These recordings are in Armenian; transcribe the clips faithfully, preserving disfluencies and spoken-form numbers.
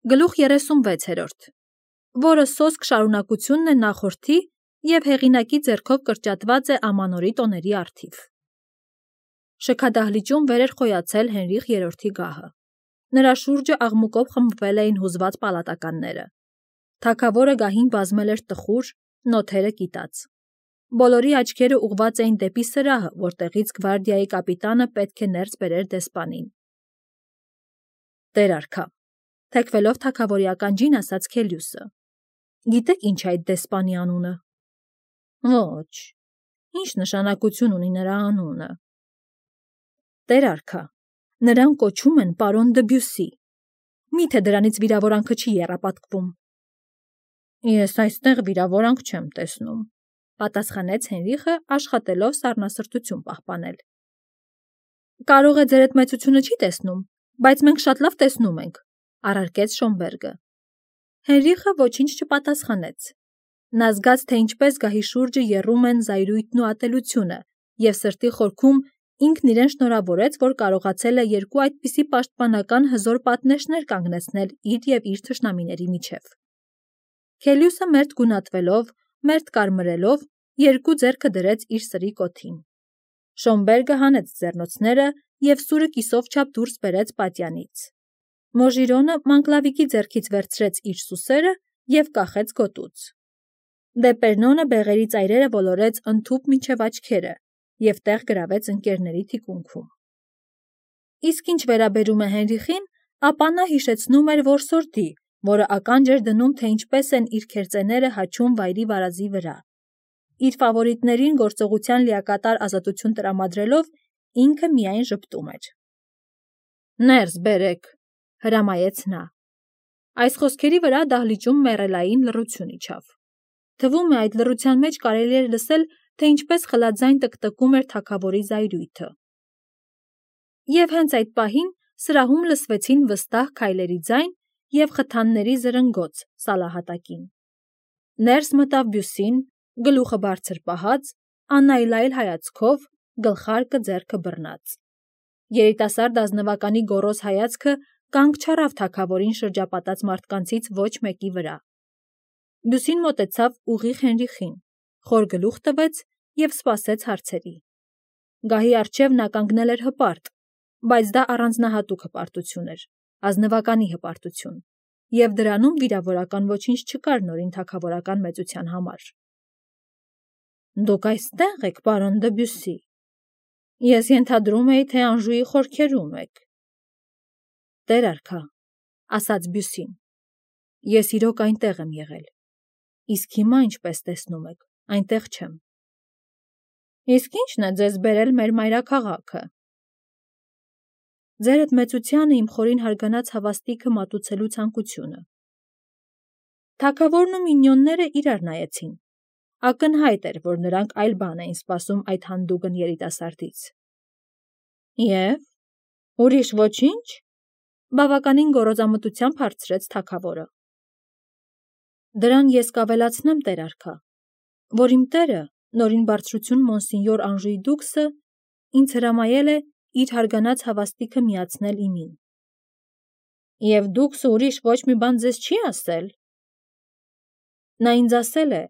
Գլուխ երեսունվեցերորդ, որը սոսկ շարունակությունն է նախորդի և հեղինակի ձեռքով կրճատված է ամանորի տոների առթիվ։ Շքադահլիճում վեր էր խոյացել Հենրիխ երրորդի գահը։ Նրա շուրջը աղմուկով խմբվել էին հուզված պալատականները։ Թագավորը գահին բազմել էր տխուր, նոթերը կիտած։ Բոլորի աչքերը ուղղված էին դեպի սրահը, որտեղից գվարդիայի կապիտանը պետք է ներս բերեր դեսպանին։ Տեր արքա, թեքվելով թագավորի ականջին ասաց Քելիուսը. Գիտեք ինչ է այդ դեսպանի անունը։ Ոչ, ինչ նշանակություն ունի նրա անունը։ Տեր արքա, նրան կոչում են պարոն Դբյուսի։ Միթե դրանից վիրավորանքը չի եռապատկվում։ Ես այստեղ վիրավորանք չեմ տեսնում, պատասխանեց Հենրիխը, աշխատելով սառնասրտություն պահպանել։ Կարող է ձերդ մեծությունը չի տեսնում, բայց մենք շատ լավ տեսնում ենք, առարկեց Շոմբերգը։ Հենրիխը ոչինչ չպատասխանեց։ Նա զգաց, թե ինչպես գահի շուրջը եռում են զայրույթն ու ատելությունը, և սրտի խորքում ինքն իրեն շնորհավորեց, որ կարողացել է երկու այդպիսի պաշտպանական հզոր պատնեշներ կանգնեցնել իր և իր թշնամիների միջև։ Քելիուսը մերթ գունատվելով, մերթ կարմրելով, երկու ձեռքը դրեց իր սրի կոթին։ Շոմբերգը հանեց ձեռնոցները և սուրը կիսով չափ դուրս բերեց պատյանից։ Մոժիրոնը Մանկլավիկի ձեռքից վերցրեց իր սուսերը և կախեց գոտուց։ Դեպերնոնը բեղերի ծայրերը ոլորեց ընդհուպ մինչև աչքերը և տեղ գրավեց ընկերների թիկունքում։ Իսկ ինչ վերաբերում է Հենրիխին, ապա նա հիշեցնում էր որսորդի, որը ականջ էր դնում, թե ինչպես են իր քերծեները հաչում վայրի վարազի վրա։ Իր ֆավորիտներին գործողության լիակատար ազատություն տրամադրելով, ինքը միայն ժպտում էր։ Ներս բերեք, հրամայեց նա։ Այս խոսքերի վրա դահլիճում մեռելային լռություն իջավ։ Թվում է այդ լռության մեջ կարելի էր լսել, թե ինչպես խլաձայն տկտկում էր թագավորի զայրույթը։ Եվ հենց այդ պահին սրահում լսվեցին վստահ քայլերի ձայն և խթանների զրնգոց սալահատակին։ Ներս մտավ Բյուսին, գլուխը բարձր պահած, անայլայլ հայացքով, գլխարկը ձեռքը բռնած։ Երիտասարդ ազնվականի գոռոզ հայացքը կանգ չառավ թագավորին շրջապատած մարդկանցից ոչ մեկի վրա։ Բյուսին մոտեցավ ուղիղ Հենրիխին, խոր գլուխ տվեց և սպասեց հարցերի։ Գահի առջև նա կանգնել էր հպարտ, բայց դա առանձնահատուկ հպարտություն էր, ազնվականի հպարտություն, և դրանում վիրավորական ոչինչ չկար նորին թագավորական մեծության համար։ Դուք այստեղ եք, պարոն Դբյուսի։ Ես ենթադրում էի, թե Անժուի խորքերում եք։ Տեր արքա, ասաց Բյուսին, ես իրոք այնտեղ եմ եղել, իսկ հիմա, ինչպես տեսնում եք, այնտեղ չեմ։ Իսկ ի՞նչն է ձեզ բերել մեր մայրաքաղաքը։ Ձերդ մեծությանը իմ խորին հարգանած հավաստիքը մատուցելու ցանկությունը։ Թագավորն ու մինьոնները իրար նայեցին։ Ակնհայտ էր, որ նրանք այլ բան էին սպասում այդ հանդուգն երիտասարդից։ Եվ ուրիշ ոչինչ, բավականին գոռոզամտությամբ հարցրեց թագավորը։ Դրան ես կավելացնեմ, տեր արքա, որ իմ տերը, նորին բարձրություն մոնսինյոր Անժուի դուքսը, ինձ հրամայել է իր հարգանած հավաստիքը միացնել իմին։ Եվ դուքսը ուրիշ ոչ մի բան ձեզ չի ասել։ Նա ինձ ասել է,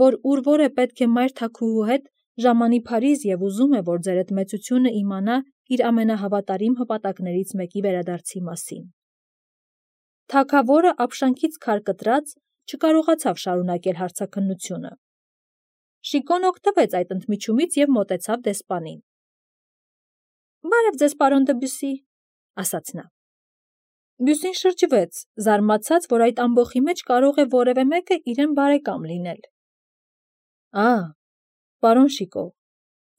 որ ուր որ է պետք է մայր թագուհու հետ ժամանի Փարիզ և ուզում է, որ ձերդ մեծությունը իմանա իր ամենահավատարիմ հպատակներից մեկի վերադարձի մասին։ Թագավորը ապշանքից քար կտրած չկարողացավ շարունակել հարցաքննությունը։ Շիկոն օգտվեց այդ ընդմիջումից և մոտեցավ դեսպանին։ Բարև ձեզ, պարոն Դբյուսի, ասաց նա։ Բյուսին շրջվեց, զարմացած, որ այդ ամբոխի մեջ կարող է որևէ մեկը իրեն բարեկամ լինել։ Ա, պարոն Շիկո,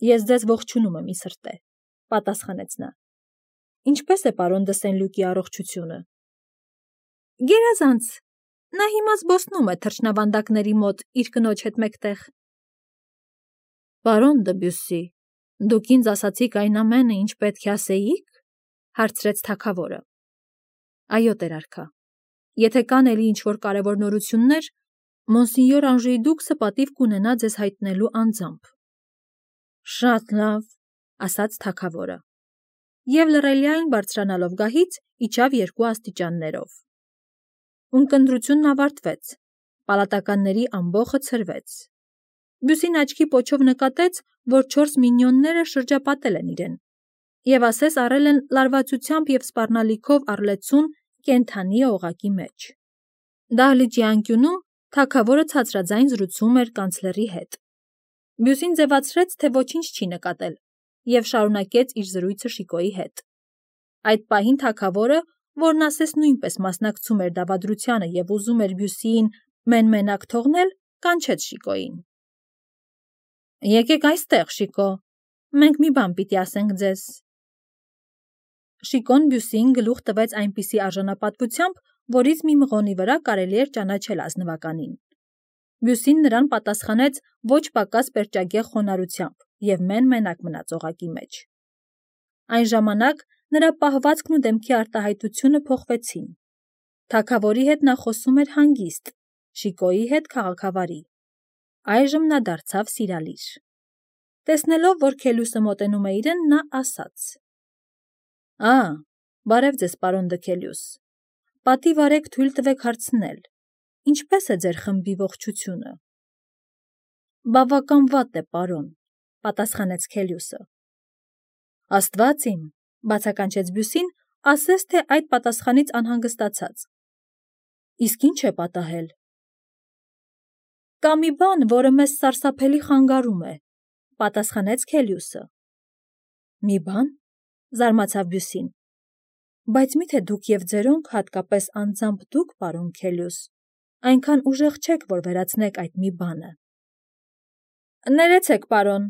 ես ձեզ ողջունում եմ ի սրտե, պատասխանեց նա։ Ինչպես է պարոն դը Սեն-Լյուկի առողջությունը։ Գերազանց, նա հիմա զբոսնում է թռչնավանդակների մոտ իր կնոջ հետ մեկտեղ։ Պարոն Դբյուսի, դուք ինձ ասացիք այն ամենը, ինչ պետք է ասեիք, հարցրեց թագավորը։ Այո, տեր արքա, եթե կան էլի ինչ-որ կարևոր նորություններ, մոնսինյոր Անժուի դուքսը պատիվ կունենա ձեզ հայտնելու անձամբ։ Շատ լավ, ասաց թագավորը։ Եվ լռելիայն բարձրանալով գահից, իջավ երկու աստիճաններով։ Ունկնդրությունն ավարտվեց, պալատականների ամբոխը ցրվեց։ Բյուսին աչքի պոչով նկատեց, որ չորս մինյոնները շրջապատել են իրեն, և ասես առել են լարվածությամբ և սպառնալիքով առլեցուն կենդանի օղակի մեջ։ Դահլիճի անկյունում թագավորը ցածրաձայն զրուցում էր կանցլերի հետ։ Բյուսին ձևացրեց, թե ոչինչ չի նկատել, և շարունակեց իր զրույցը Շիկոյի հետ։ Այդ պահին թագավորը, որն ասես նույնպես մասնակցում էր դավադրությանը և ուզում էր Բյուսիին մեն-մենակ թողնել, կանչեց Շիկոյին։ «Եկեք այստեղ, Շիկո, մենք մի բան պիտի ասենք ձեզ»։ Շիկոն Բյուսիին գլուխ տվեց այնպիսի արժանապատվությամբ, որից մի մղոնի վրա կարելի էր ճանաչել ազնվականին։ Բյուսին նրան պատասխանեց ոչ պակաս պերճագեղ խոնարհությամբ և մեն-մենակ մնաց օղակի մեջ։ Այն ժամանակ նրա պահվածքն ու դեմքի արտահայտությունը փոխվեցին։ Թագավորի հետ նա խոսում էր հանգիստ, Շիկոյի հետ քաղաքավարի։ Այժմ նա դարձավ սիրալիր։ Տեսնելով, որ Քելյուսը մոտենում է իրեն, նա ասաց. «Ա, բարև ձեզ, պարոն դը Քելյուս, պատիվ արեք թույլ տվեք հարցնել, ինչպե՞ս է ձեր խմբի ողջությունը»։ «Բավական վատ է, պարոն», պատասխանեց Քելյուսը։ «Աստված իմ», բացականչեց Բյուսին, ասես թե այդ պատասխանից անհանգստացած։ «Իսկ ի՞նչ է պատահել»։ «Կա մի բան, որը մեզ սարսափելի խանգարում է», պատասխանեց Քելյուսը։ «Մի բան», զարմացավ Բյուսին։ «Բայց միթե դուք և ձերոնք, հատկապես անձամբ դուք, պարոն Քելյուս, այնքան ուժեղ չեք, որ վերացնեք այդ մի բանը»։ «Ներեցեք, պարոն»,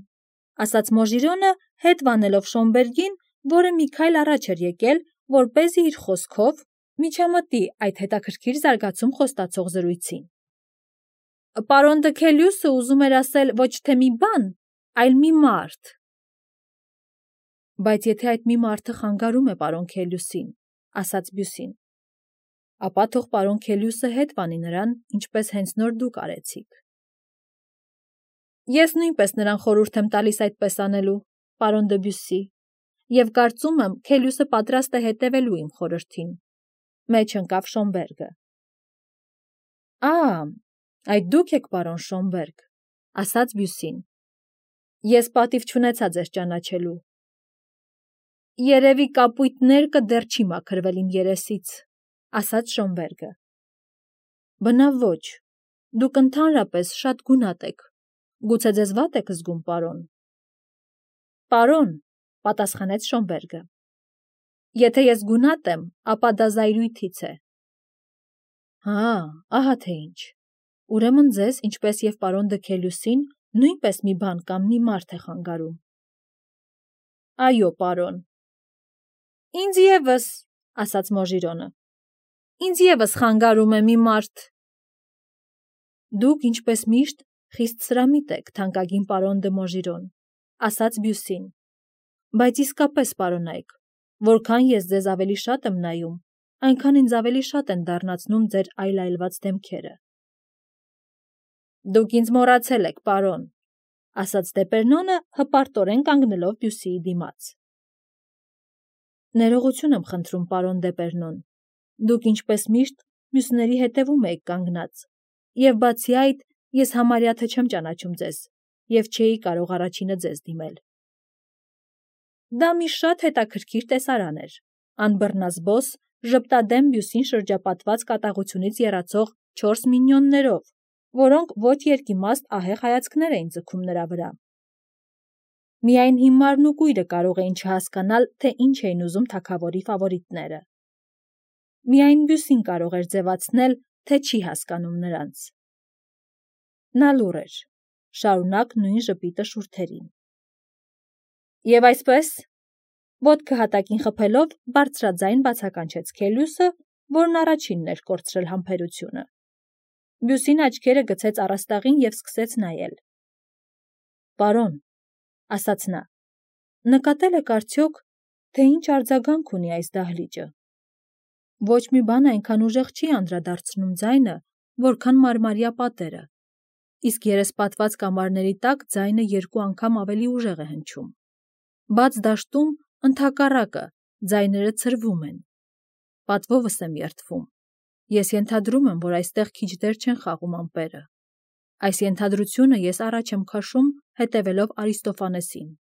ասաց Մոժիրոնը, հետ վանելով Շոմբերգին, որը մի քայլ առաջ էր եկել, որպեսզի իր խոսքով միջամտի այդ հետաքրքիր զարգացում խոստացող զրույցին։ «Պարոն դը Քելյուսը ուզում էր ասել ոչ թե մի բան, այլ մի մարդ»։ «Բայց եթե այդ մի մարդը խանգարում է պարոն Քելյուսին», ասաց Բյուսին, «ապա թող պարոն Քելյուսը հետ վանի նրան, ինչպես հենց նոր դուք արեցիք»։ «Ես նույնպես նրան խորհուրդ եմ տալիս այդպես անելու, պարոն դը Բյուսի, և կարծում եմ, Քելյուսը պատրաստ է հետևելու իմ խորհրդին», մեջ ընկավ Շոմբերգը։ «Ա, այդ դուք եք, պարոն Շոմբերգ», ասաց Բյուսին։ «Ես պատիվ չունեցա ձեզ ճանաչելու»։ «Երևի կապույտ ներկը դեռ չի մաքրվել իմ երեսից», ասաց Շոմբերգը։ «Բնավ ոչ, դուք ընդհանրապես շատ գունատ եք, գուցե ձեզ վատ եք զգում, պարոն»։ «Պարոն», պատասխանեց Շոմբերգը, «եթե ես գունատ եմ, ապա դա զայրույթից է»։ «Հա, ահա թե ինչ, ուրեմն ձեզ, ինչպես և պարոն դը Քելյուսին, նույնպես մի բան կամ մի մարդ է խանգարում»։ «Այո, պարոն»։ «Ինձ ևս», ասաց Մոժիրոնը, «ինձ ևս խանգարում է մի մարդ»։ «Դուք, ինչպես միշտ, խիստ սրամիտ եք, թանկագին պարոն դը Մոժիրոն», ասաց Բյուսին, «բայց իսկապես, պարոնայք, որքան ես ձեզ ավելի շատ եմ նայում, այնքան ինձ ավելի շատ են դառնացնում ձեր այլայլված դեմքերը»։ «Դուք ինձ մոռացել եք, պարոն», ասաց Դեպերնոնը, հպարտորեն կանգնելով Բյուսիի դիմաց։ «Ներողություն եմ խնդրում, պարոն Դեպերնոն, դուք ինչպես միշտ մյուսների հետևում էիք կանգնած, և բացի այդ, ես համարյա թե չեմ ճանաչում ձեզ և չէի կարող առաջինը ձեզ դիմել»։ Դա մի շատ հետաքրքիր տեսարան էր, անբռնազբոս, ժպտադեմ Բյուսին շրջապատված կատաղությունից եռացող չորս մինյոններով, որոնք ոչ երկիմաստ ահեղ հայացքներ էին ձգում նրա վրա։ Միայն հիմարն ու կույրը կարող էին չհասկանալ, թե ինչ էին ուզում թագավորի ֆավորիտները։ Միայն Բյուսին կարող էր ձևացնել, թե չի հասկանում նրանց։ Նա լուռ էր, շարունակ նույն ժպիտը շուրթերին։ «Եվ այսպես», ոտքը հատակին խփելով, բարձրաձայն բացականչեց Քելյուսը, որն առաջինն էր կորցրել համբերությունը։ Բյուսին աչքերը գցեց առաստաղին և սկսեց նայել։ «Պարոն», ասաց նա, «նկատել եք արդյոք, թե ինչ արձագանք ունի այս դահլիճը։ Ոչ մի բան այնքան ուժեղ չի անդրադարձնում ձայնը, որքան մարմարյա պատերը, իսկ երեսպատված կամարների տակ ձայնը երկու անգամ ավելի ուժեղ է հնչում։ Բաց դաշտում, ընդհակառակը, ձայները ցրվում են։ Պատվովս եմ երդվում»։ Ես ենթադրում եմ, որ այստեղ քիչ դեր չեն խաղում ամպերը։ Այս ենթադրությունը ես առաջ եմ քաշում, հետևելով Արիստոֆանեսին։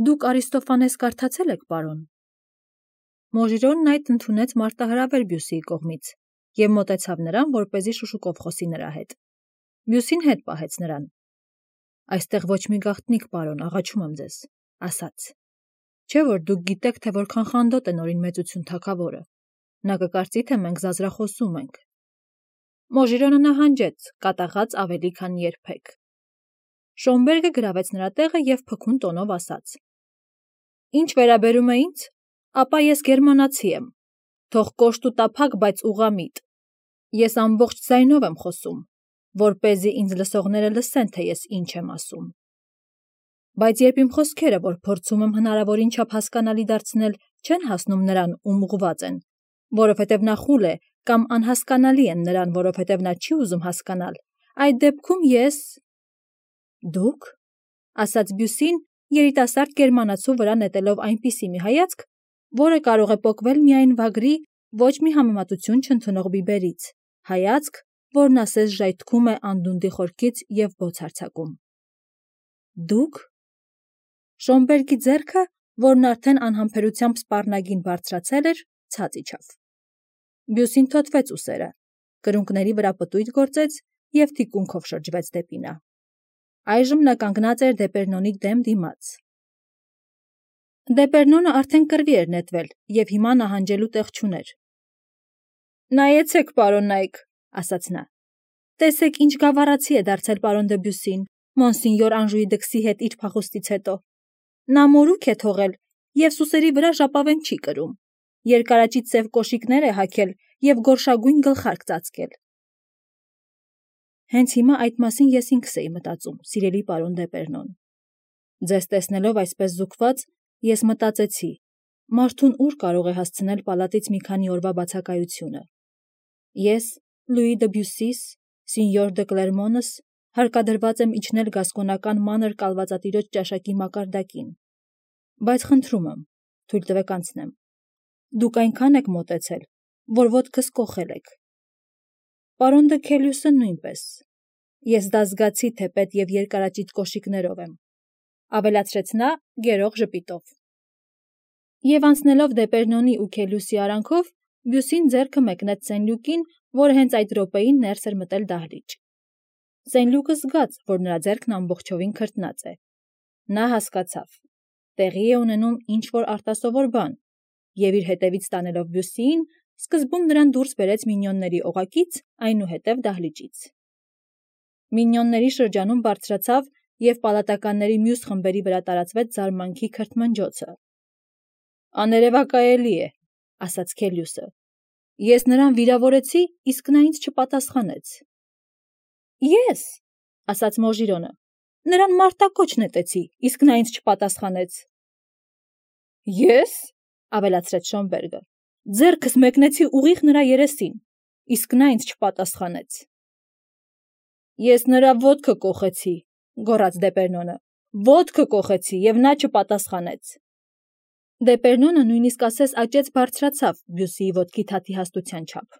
Դուք Արիստոֆանես կարդացել եք, պարոն։ Մոժիրոնն այդ ընդունեց մարտահրավեր Բյուսիի կողմից և մոտեցավ նրան, որպեսզի շշուկով խոսի նրա հետ։ Բյուսին հետ պահեց նրան։ Այստեղ ոչ մի գաղտնիք, պարոն, աղաչում եմ ձեզ, ասաց։ Չէ՞ որ դուք գիտեք, թե որքան խանդոտ է նորին մեծություն թագավորը։ Նա կկարծի, թե մենք զազրախոսում ենք։ Մոժիրոնը նահանջեց, կատաղած ավելի քան երբեք։ Շոմբերգը գրավեց նրա տեղը և փքուն տոնով ասաց. Ինչ վերաբերում է ինձ, ապա ես գերմանացի եմ, թող կոշտ ու տափակ, բայց ուղղամիտ։ Ես ամբողջ ձայնով եմ խոսում, որպեսզի ինձ լսողները լսեն, թե ես ինչ եմ ասում։ Բայց երբ իմ խոսքերը, որ փորձում եմ հնարավորին չափ հասկանալի դարձնել, չեն հասնում նրան, ում ուղղված են, որովհետև նա խուլ է կամ անհասկանալի են նրան, որովհետև նա չի ուզում հասկանալ, այդ դեպքում ես… Դուք, ասաց Բյուսին, երիտասարդ գերմանացու վրա նետելով այնպիսի մի հայացք, որը կարող է պոկվել միայն վագրի, ոչ մի համեմատություն չընդունող բիբերից, հայացք, որն ասես ժայթքում է անդունդի խորքից և բոց հարձակում։ Դուք… Շոմբերգի ձեռքը, որն արդեն անհամբերությամբ սպառնագին բարձրացել էր, ցած իջավ։ Բյուսին թոթվեց ուսերը, կրունկների վրա պտույտ գործեց և թիկունքով շրջվեց դեպի նա։ Այժմ նա կանգնած էր Դեպերնոնի դեմ դիմաց։ Դեպերնոնը արդեն կռվի էր նետվել և հիմա նահանջելու տեղ չուներ։ Նայեցեք, պարոն Նայք, ասաց նա։ Տեսեք, ինչ գավառացի է դարձել պարոն դը Բյուսին, մոնսինյոր Անժուի դքսի հետ իր փախուստից հետո։ Նա մորուք է թողել և սուսերի վրա ժապավեն չի կրում, երկարաճիտ սև կոշիկներ է հագել և գորշագույն գլխարկ ծածկել։ Հենց հիմա այդ մասին ես ինքս էի մտածում, սիրելի պարոն Դեպերնոն։ Ձեզ տեսնելով այսպես զուգված, ես մտածեցի, մարդուն ուր կարող է հասցնել պալատից մի քանի օրվա բացակայությունը։ Ես, Լուի դը Բյուսիս, սինյոր դը Կլերմոնս, հարկադրված եմ իջնել գասկոնական մանր կալվածատիրոջ ճաշակի մակարդակին։ Բայց խնդրում եմ, թույլ տվեք անցնեմ։ Դուք այնքան եք մոտեցել, որ ոտքս կոխել եք։ Պարոն դը Քելյուսը նույնպես։ Ես դա զգացի թեպետ և երկարաճիտ կոշիկներով եմ, ավելացրեց նա գերող ժպիտով։ Եվ անցնելով Դեպերնոնի ու Քելյուսի արանքով, Բյուսին ձեռքը մեկնեց Սենլյուկին, որը հենց այդ րոպեին ներս էր մտել դահլիճ։ Սենլյուկը զգաց, որ նրա ձեռքն ամբողջովին քրտնած է։ Նա հասկացավ. տեղի է ունենում ինչ-որ արտասովոր բան, և իր հետևից տանելով Բյուսիին, սկզբում նրան դուրս բերեց Մինյոնների օղակից, այնուհետև դահլիճից։ Մինյոնների շրջանում բարձրացավ և պալատականների մյուս խմբերի վրա տարածվեց զարմանքի քրթմնջոցը։ Աներևակայելի է, ասաց Քելյուսը։ Ես նրան վիրավորեցի, իսկ նա ինձ չպատասխանեց։ Ես, ասաց Մոժիրոնը, նրան մարտակոչ նետեցի, իսկ նա ինձ չպատասխանեց։ Ես, ավելացրեց Շոմբերգը, ձեռքս մեկնեցի ուղիղ նրա երեսին, իսկ նա ինձ չպատասխանեց։ Ես նրա ոտքը կոխեցի, գոռաց Դեպերնոնը, ոտքը կոխեցի, և նա չպատասխանեց։ Դեպերնոնը նույնիսկ ասես աճեց բարձրացավ Բյուսիի ոտքի թաթի հաստության չափ։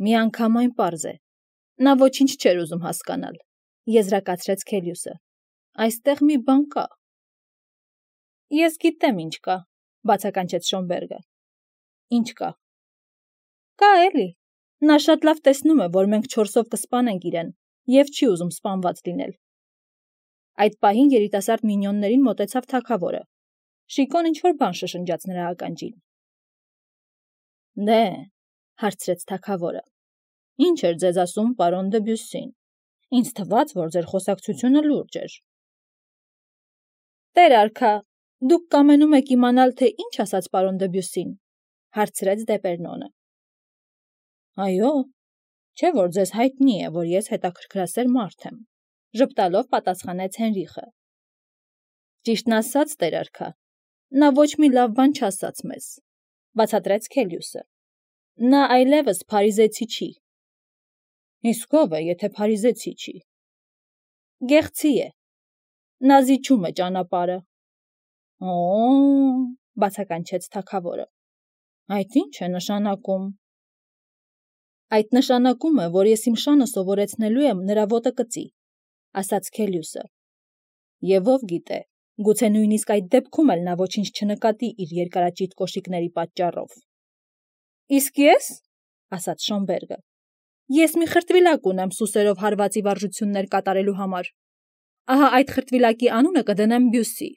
Միանգամայն պարզ է, նա ոչինչ չէր ուզում հասկանալ, եզրակացրեց Քելյուսը։ Այստեղ մի բան կա։ Ես գիտեմ ինչ կա, բացականչեց Շոմբերգը։ Ինչ կա։ Կա էլի։ Նա շատ լավ տեսնում է, որ մենք չորսով կսպանենք իրեն, և չի ուզում սպանված լինել։ Այդ պահին երիտասարդ Մինյոններին մոտեցավ թագավորը։ Շիկոն ինչ-որ բան շշնջաց նրա ականջին։ Դե, հարցրեց թագավորը, ինչ էր ձեզ ասում պարոն դը Բյուսին։ Ինձ թվաց, որ ձեր խոսակցությունը լուրջ էր։ Տեր արքա, դուք կամենում եք իմանալ, թե ինչ ասաց պարոն դը Բյուսին, հարցրեց Դեպերնոնը։ Այո, չէ՞ որ ձեզ հայտնի է, որ ես հետաքրքրասեր մարդ եմ, ժպտալով պատասխանեց Հենրիխը։ Ճիշտն ասած, տեր արքա, նա ոչ մի լավ բան չասաց մեզ, բացատրեց Քելյուսը։ Նա այլևս փարիզեցի չի։ Իսկ ով է, եթե փարիզեցի չի։ Գեղցի է։ Նա զիջում է ճանապարհը։ Օ՜, բացականչեց թագավորը։ Այդ ինչ է նշանակում։ Այդ նշանակում է, որ ես իմ շանը սովորեցնելու եմ նրա ոտը կծի, ասաց Քելիուսը։ Եվ ով գիտե, գուցե նույնիսկ այդ դեպքում էլ նա ոչինչ չնկատի իր երկարաճիտ կոշիկների պատճառով։ Իսկ ես, ասաց Շոմբերգը, ես մի խրտվիլակ ունեմ սուսերով հարվածի վարժություններ կատարելու համար։ Ահա այդ խրտվիլակի անունը կդնեմ Բյուսի։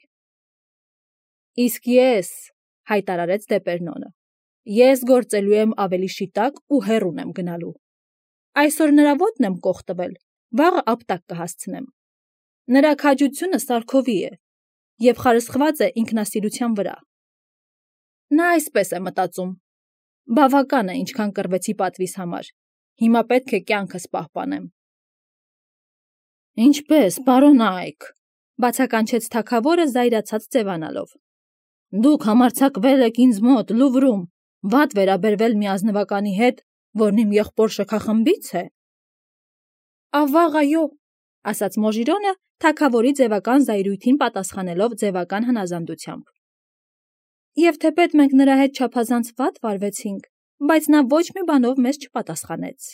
Իսկ ես, հայտարարեց Դեպերնոնը, ես գործելու եմ ավելի շիտակ ու հեռուն եմ գնալու։ Այսօր նրա ոտն եմ կոխ տվել, վաղը ապտակ կհասցնեմ։ Նրա քաջությունը սարքովի է և խարսխված է ինքնասիրության վրա։ Նա այսպես է մտածում. բավական է, ինչքան կռվեցի պատվիս համար, հիմա պետք է կյանքս պահպանեմ։ Ինչպես, պարոն Այք, բացականչեց թագավորը զայրացած ձևանալով։ Դուք համարձակվել եք ինձ մոտ Լուվրում վատ վերաբերվել մի ազնվականի հետ, որն իմ եղբոր շքախմբից է։ Ավաղ այո, ասաց Մոժիրոնը, թագավորի ձևական զայրույթին պատասխանելով ձևական հնազանդությամբ։ Եվ թեպետ մենք նրա հետ չափազանց վատ վարվեցինք, բայց նա ոչ մի բանով մեզ չպատասխանեց։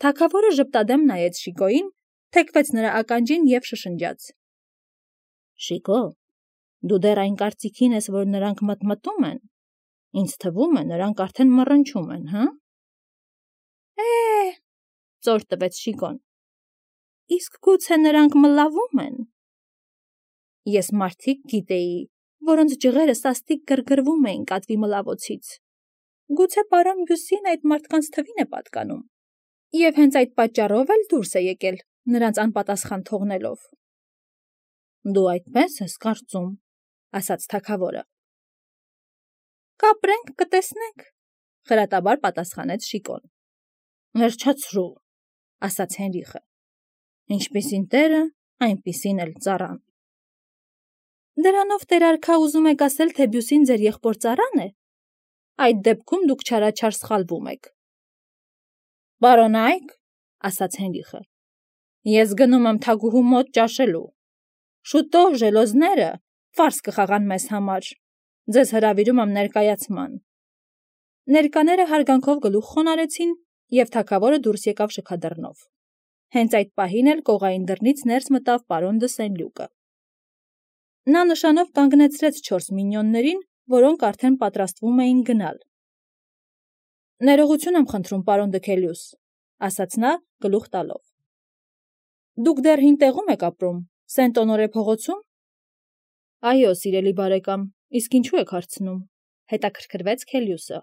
Թագավորը ժպտադեմ նայեց Շիկոյին, թեքվեց նրա ականջին և շշնջաց. Շիկո, դու դեռ այն կարծիքին ես, որ նրանք մտմտում են։ Ինձ թվում է, նրանք արդեն մռնչում են, հա։ Է, ծոր տվեց Շիկոն։ Իսկ գուցե նրանք մլավում են։ Ես մարդիկ գիտեի, որոնց ջղերը սաստիկ գրգռվում էին կատվի մլավոցից։ Գուցե պարոն Բյուսին այդ մարդկանց թվին է պատկանում։ Եվ հենց այդ պատճառով էլ դուրս է եկել, նրանց անպատասխան թողնելով։ Դու այդպես ես կարծում, ասաց թագավորը։ Կապրենք, կտեսնենք, խրատաբար պատասխանեց Շիկոն։ Վերջացրու, ասաց Հենրիխը։ Ինչպիսին տերը, այնպիսին էլ ծառան։ Դրանով տեր արքա ուզում եք ասել, թե Բյուսին ձեր եղբոր ծառան է։ Այդ դեպքում դուք չարաչար սխալվում եք։ Պարոն Այք, ասաց Հենրիխը, ես գնում եմ թագուհու մոտ ճաշելու։ Շուտով ժելոզները ֆարս կխաղան մեզ համար։ Ձեզ հրավիրում եմ ներկայացման։ Ներկաները հարգանքով գլուխ խոնարհեցին, և թագավորը դուրս եկավ շքադռնով։ Հենց այդ պահին էլ կողային դռնից ներս մտավ պարոն դը Սենլյուկը։ Նա նշանով կանգնեցրեց չորս մինյոններին, որոնք արդեն պատրաստվում էին գնալ։ Ներողություն եմ խնդրում, պարոն դը Քելիուս, ասաց նա գլուխ տալով։ Դուք դեռ հին տեղում եք ապրում, Սենտ Օնորե փողոցում։ Այո, սիրելի բարեկամ, իսկ ինչու եք հարցնում, հետաքրքրվեց Քելիուսը։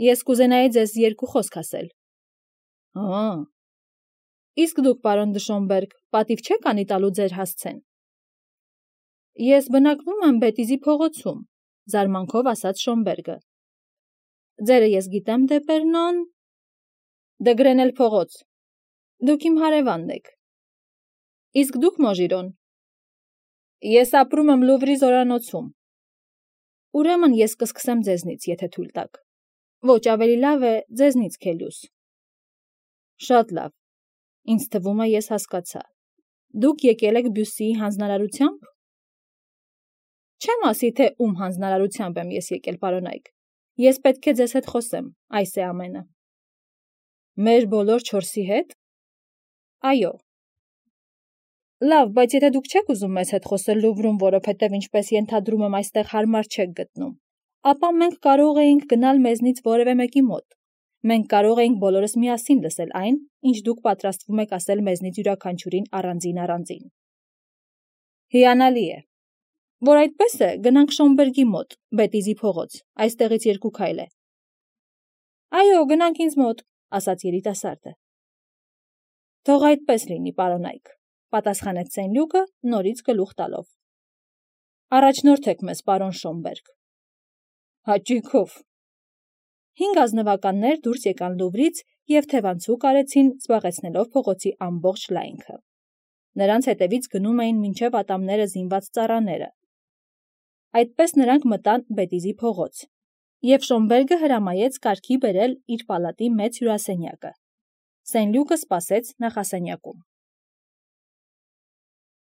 Ես կուզենայի ձեզ երկու խոսք ասել։ Հա։ Իսկ դուք, պարոն դը Շոմբերգ, պատիվ չեք անի տալու ձեր հասցեն։ Ես բնակվում եմ Բետիզի փողոցում, զարմանքով ասաց Շոմբերգը։ Ձերը ես գիտեմ, Դեպերնոն։ Դգրենել փողոց։ Դուք իմ հարևանն եք։ Իսկ դուք, Մոժիրոն։ Ես ապրում եմ Լուվրի զորանոցում։ Ուրեմն ես կսկսեմ ձեզնից, եթե թույլ տաք։ Ոչ, ավելի լավ է ձեզնից, Քելիուս։ Շատ լավ։ Ինձ թվում է, ես հասկացա։ Դուք եկել եք Բյուսիի հանձնարարությամբ։ Չեմ ասի, թե ում հանձնարարությամբ եմ ես եկել, պարոն Այք։ Ես պետք է ձեզ հետ խոսեմ, այս է ամենը։ Մեր բոլոր չորսի հետ։ Այո։ Լավ, բայց եթե դուք չեք ուզում մեզ հետ խոսել Լուվրում, որովհետև ինչպես ենթադրում եմ այստեղ հարմար չեք գտնում, ապա մենք կարող էինք գնալ մեզնից որևէ մեկի մոտ։ Մենք կարող էինք բոլորս միասին լսել այն, ինչ դուք պատրաստվում եք ասել մեզնից յուրաքանչյուրին առանձին-առանձին։ Հիանալի է։ Որ այդպես է, գնանք Շոմբերգի մոտ, Բետիզի փողոց, այստեղից երկու քայլ է։ Այո, գնանք ինձ մոտ, ասաց երիտասարդը։ Թող այդպես լինի, պարոն Այք, պատասխանեց Սենլյուկը, նորից գլուխ տալով։ Առաջնորդեք մեզ, պարոն Շոմբերգ։ Հաճույքով։ Հինգ ազնվականներ դուրս եկան Լուվրից և թևանցուկ արեցին, զբաղեցնելով փողոցի ամբողջ լայնքը։ Նրանց հետևից գնում էին մինչև ատամները զինված ծառաները։ Այդպես նրանք մտան Բետիզի փողոց, և Շոմբերգը հրամայեց կարգի բերել իր պալատի մեծ հյուրասենյակը։ Սենլյուկը սպասեց նախասենյակում։